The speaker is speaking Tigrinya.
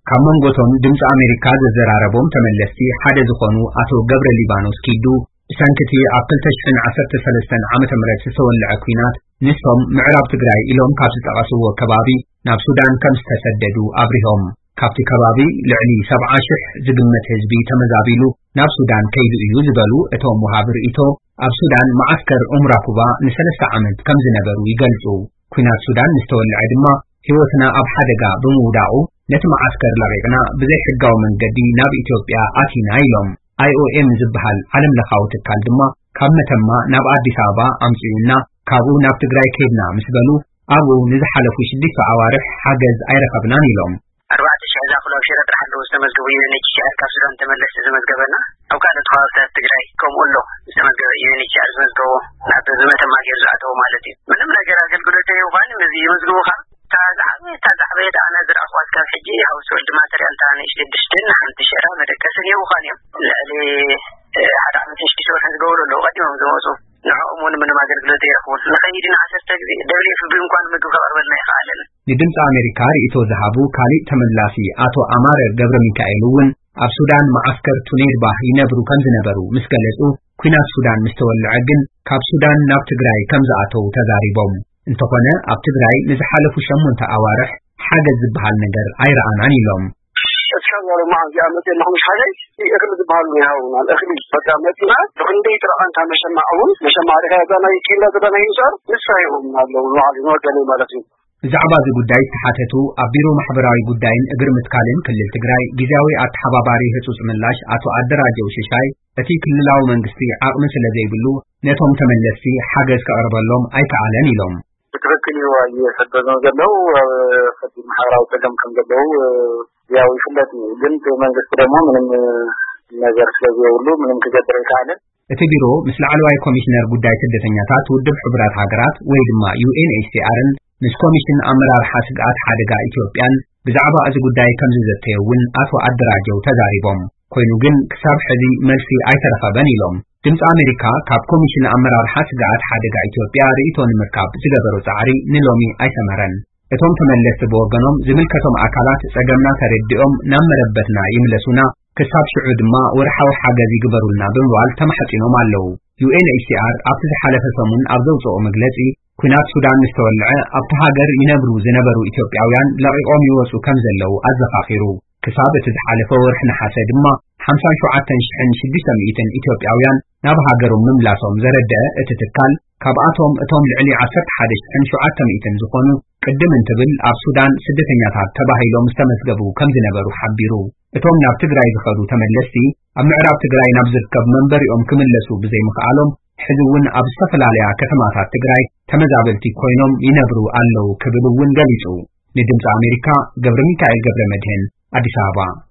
ካብ መንጎቶም ድምፂ ኣሜሪካ ዘዘራረቦም ተመለስቲ ሓደ ዝኾኑ ኣቶ ገብረ ሊባኖስ ኪዱ፣ ብሰንክቲ ኣብ ክልተ ሽሕን ዓሰርተ ሰለስተን ዓመተ ምህረት ዝተወልዐ ኲናት ንሶም ምዕራብ ትግራይ ኢሎም ካብ ዝጠቐስዎ ከባቢ ናብ ሱዳን ከም ዝተሰደዱ ኣብሪሆም። ካብቲ ከባቢ ልዕሊ ሰብዓ ሽሕ ዝግመት ህዝቢ ተመዛቢሉ ናብ ሱዳን ከይዱ እዩ ዝበሉ እቶም ወሃቢ ርእይቶ፣ ኣብ ሱዳን መዓስከር ኡምራኩባ ንሰለስተ ዓመት ከም ዝነበሩ ይገልጹ። ኲናት ሱዳን ምስ ተወልዐ ድማ ህይወትና ኣብ ሓደጋ ብምውዳቑ ነቲ መዓስከር ለቒቕና ብዘይ ሕጋዊ መንገዲ ናብ ኢትዮጵያ ኣቲና ኢሎም። ኣይ ኦ ኤም ዝበሃል ዓለም ለኻዊ ትካል ድማ ካብ መተማ ናብ ኣዲስ ኣበባ ኣምጺኡና ካብኡ ናብ ትግራይ ከይድና ምስ በሉ ኣብኡ ንዝሓለፉ ሽዱሽተ ኣዋርሕ ሓገዝ ኣይረኸብናን ኢሎም። ኣርባዕተ ሽሕ ዝኣኽሉ ኣብ ሽረ ጥራሕ ኣለዉ ዝተመዝገቡ ዩ ኤን ኤች ሲ ኣር ካብ ሱዳን ተመለስቲ ዘመዝገበና። ኣብ ካልኦት ከባብታት ትግራይ ከምኡ ኣሎ ዝተመዝገበ ዩ ኤን ኤች ሲ ኣር ዝመዝገቦ ናብ ዝመተማ ገይሩ ዝኣተዎ ማለት እዩ። ምንም ነገር ኣገልግሎት ዘይውሃን ነዚ ይመዝግቡኻ። እታ ዝዓበየ እታ ዝዓበየ ኣነ ዝረኣኽዋ እስካብ ሕጂ ሃውስ ሆልድ ማተርያል እታ ንእሽተይ ድስትን ሓንቲ ሸራ መደቀስን ይህቡኻን እዮም። ልዕሊ ሓደ ዓመትን ሽዱሽተ ወርሕን ዝገበሩ ኣለዉ ቀዲሞም ዝመፁ። ንዕኦም እውን ምንም ኣገልግሎት ዘይረኽቡን። ንኸይድ ኢና ዓሰርተ ግዜ ደብሊው ኤፍ ፒ እንኳን ምግቢ ከቕርበልና ኣይኸኣለን። ንድምፂ ኣሜሪካ ርእይቶ ዝሃቡ ካሊእ ተመላሲ ኣቶ ኣማረ ገብረ ሚካኤል እውን ኣብ ሱዳን መዓስከር ቱኔድባህ ይነብሩ ከም ዝነበሩ ምስ ገለጹ፣ ኲናት ሱዳን ምስ ተወልዐ ግን ካብ ሱዳን ናብ ትግራይ ከም ዝኣተዉ ተዛሪቦም። እንተኾነ ኣብ ትግራይ ንዝሓለፉ ሸሞንተ ኣዋርሕ ሓገዝ ዝበሃል ነገር ኣይረኣናን ኢሎም። እስካብ ዛሬ መዓዝ ይኣመት የለኹም ሓገዝ እኽሊ ዝበሃሉ ይሃቡናል። እኽሊ በቃ መፂና ብክንደይ ጥረ ኣንታ መሸማዕ እውን መሸማዕ ዲኻ እዛ ናይ ኬንዳ ዘለና ይምፃር ንሳ ይሁን ኣለዉ ንባዕሉ ንወገነይ ማለት እዩ። ብዛዕባ እዚ ጉዳይ ዝተሓተቱ ኣብ ቢሮ ማሕበራዊ ጉዳይን እግሪ ምትካልን ክልል ትግራይ ግዝያዊ ኣተሓባባሪ ህፁፅ ምላሽ ኣቶ ኣደራጀው ሽሻይ፣ እቲ ክልላዊ መንግስቲ ዓቕሚ ስለ ዘይብሉ ነቶም ተመለስቲ ሓገዝ ከቕርበሎም ኣይከኣለን ኢሎም። ብትኽክል እዩ ኣየሰደዶም ዘለዉ ኣብ ከቢድ ማሕበራዊ ፀገም ከም ዘለዉ ያው ይፍለጥ እዩ። ግን እቲ መንግስቲ ደግሞ ምንም ነገር ስለ ዘይብሉ ምንም ክገብር ኣይከኣለን። እቲ ቢሮ ምስ ላዕለዋይ ኮሚሽነር ጉዳይ ስደተኛታት ውድብ ሕቡራት ሃገራት ወይ ድማ ዩ ኤን ኤች ሲ ኣርን ምስ ኮሚሽን ኣመራርሓ ስግኣት ሓደጋ ኢትዮጵያን ብዛዕባ እዚ ጉዳይ ከም ዝዘተየ እውን ኣቶ ኣደራጀው ተዛሪቦም። ኮይኑ ግን ክሳብ ሕዚ መልሲ ኣይተረኸበን ኢሎም። ድምፂ ኣሜሪካ ካብ ኮሚሽን ኣመራርሓ ስግኣት ሓደጋ ኢትዮጵያ ርእይቶ ንምርካብ ዝገበሮ ፃዕሪ ንሎሚ ኣይሰመረን። እቶም ተመለስቲ ብወገኖም ዝምልከቶም ኣካላት ጸገምና ተረዲኦም ናብ መረበትና ይምለሱና፣ ክሳብ ሽዑ ድማ ወርሓዊ ሓገዝ ይግበሩልና ብምባል ተማሕጺኖም ኣለዉ። ዩ ኤን ኤች ሲ ኣር ኣብቲ ዝሓለፈ ሰሙን ኣብ ዘውጽኦ መግለጺ፣ ኲናት ሱዳን ምስ ተወልዐ ኣብቲ ሃገር ይነብሩ ዝነበሩ ኢትዮጵያውያን ለቒቖም ይወጹ ከም ዘለዉ ኣዘኻኺሩ። ክሳብ እቲ ዝሓለፈ ወርሒ ነሓሰ ድማ ሓምሳን ሸውዓተን ሽሕን ሽዱሽተ ሚእትን ኢትዮጵያውያን ናብ ሃገሮም ምምላሶም ዘረድአ እቲ ትካል፣ ካብኣቶም እቶም ልዕሊ ዓሰርተ ሓደ ሽሕን ሸውዓተ ሚእትን ዝኾኑ ቅድም እንትብል ኣብ ሱዳን ስደተኛታት ተባሂሎም ዝተመዝገቡ ከም ዝነበሩ ሓቢሩ። እቶም ናብ ትግራይ ዝኸዱ ተመለስቲ ኣብ ምዕራብ ትግራይ ናብ ዝርከብ መንበሪኦም ክምለሱ ብዘይምኽኣሎም ሕዚ እውን ኣብ ዝተፈላለያ ከተማታት ትግራይ ተመዛበልቲ ኮይኖም ይነብሩ ኣለዉ ክብል እውን ገሊጹ። ንድምፂ ኣሜሪካ ገብረ ሚካኤል ገብረ መድህን ኣዲስ ኣበባ።